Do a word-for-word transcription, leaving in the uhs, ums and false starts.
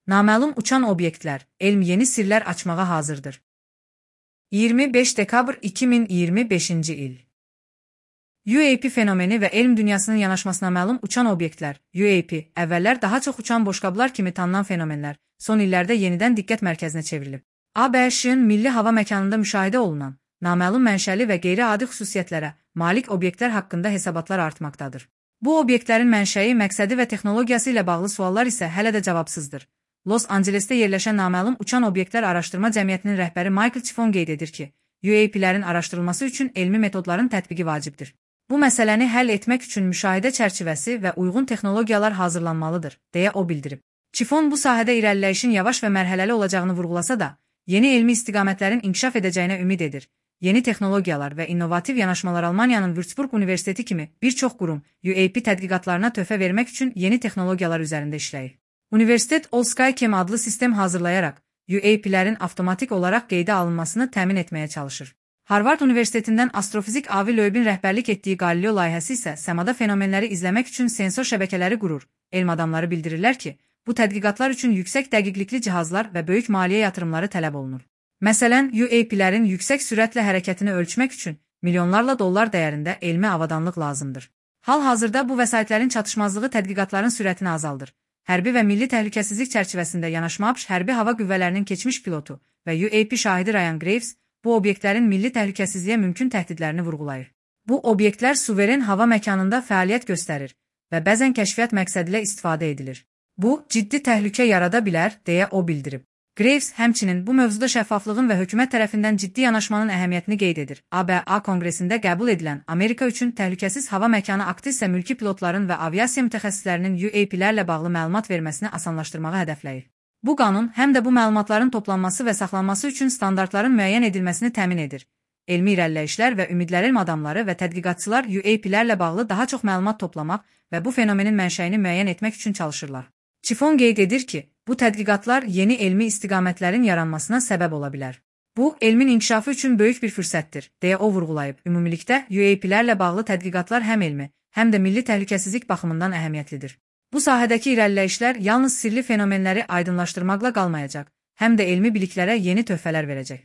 Naməlum uçan obyektlər, elm yeni sirlər açmağa hazırdır. iyirmi beş dekabr iki min iyirmi beşinci il. U A P fenomeni və elm dünyasının yanaşmasına məlum uçan obyektlər, U A P, əvvəllər daha çox uçan boşqablar kimi tanınan fenomenlər, son illərdə yenidən diqqət mərkəzinə çevrilib. A B Ş-ın milli hava məkanında müşahidə olunan, naməlum mənşəli və qeyri-adi xüsusiyyətlərə malik obyektlər haqqında hesabatlar artmaqdadır. Bu obyektlərin mənşəyi, məqsədi və texnologiyası ilə bağlı suallar isə hələ də cavabsızdır. Los Ancelesdə yerləşən naməlum uçan obyektlər araşdırma cəmiyyətinin rəhbəri Michael Chiffon qeyd edir ki, U A P-lərin araşdırılması üçün elmi metodların tətbiqi vacibdir. Bu məsələni həll etmək üçün müşahidə çərçivəsi və uyğun texnologiyalar hazırlanmalıdır, deyə o bildirib. Chiffon bu sahədə irəliləyişin yavaş və mərhələli olacağını vurğulasa da, yeni elmi istiqamətlərin inkişaf edəcəyinə ümid edir. Yeni texnologiyalar və innovativ yanaşmalar Almaniyanın Würzburg Universiteti kimi bir çox qurum U A P tədqiqatlarına töhfə vermək üçün yeni texnologiyalar üzərində işləyir. Universitet Allskychem adlı sistem hazırlayaraq U A P-lərin avtomatik olaraq qeydə alınmasını təmin etməyə çalışır. Harvard Universitetindən astrofizik Avi Loeb'in rəhbərlik etdiyi Galileo layihəsi isə səmada fenomenləri izləmək üçün sensor şəbəkələri qurur. Elm adamları bildirirlər ki, bu tədqiqatlar üçün yüksək dəqiqlikli cihazlar və böyük maliyyə yatırımları tələb olunur. Məsələn, U A P-lərin yüksək sürətlə hərəkətini ölçmək üçün milyonlarla dollar dəyərində elmi avadanlıq lazımdır. Hal-hazırda bu vəsaitlərin çatışmazlığı tədqiqatların sürətini azaldır. Hərbi və milli təhlükəsizlik çərçivəsində yanaşma ABŞ hərbi hava qüvvələrinin keçmiş pilotu və U A P şahidi Ryan Graves bu obyektlərin milli təhlükəsizliyə mümkün təhdidlərini vurğulayır. Bu obyektlər suveren hava məkanında fəaliyyət göstərir və bəzən kəşfiyyat məqsədilə istifadə edilir. Bu, ciddi təhlükə yarada bilər, deyə o bildirib. Graves həmçinin bu mövzuda şəffaflığın və hökumət tərəfindən ciddi yanaşmanın əhəmiyyətini qeyd edir. A B A Konqresində qəbul edilən Amerika üçün təhlükəsiz hava məkanı aktı isə mülki pilotların və aviasiya mütəxəssislərinin U A P-lərlə bağlı məlumat verməsini asanlaşdırmağı hədəfləyir. Bu qanun həm də bu məlumatların toplanması və saxlanması üçün standartların müəyyən edilməsini təmin edir. Elmi irəliləyişlər və ümidlər elm adamları və tədqiqatçılar U A P-lərlə bağlı daha çox məlumat toplamaq və bu fenomenin mənşəyini müəyyən etmək üçün çalışırlar. Chiffon qeyd edir ki, bu tədqiqatlar yeni elmi istiqamətlərin yaranmasına səbəb ola bilər. Bu, elmin inkişafı üçün böyük bir fürsətdir, deyə o vurğulayıb. Ümumilikdə, U A P-lərlə bağlı tədqiqatlar həm elmi, həm də milli təhlükəsizlik baxımından əhəmiyyətlidir. Bu sahədəki irəliləyişlər yalnız sirli fenomenləri aydınlaşdırmaqla qalmayacaq, həm də elmi biliklərə yeni töhfələr verəcək.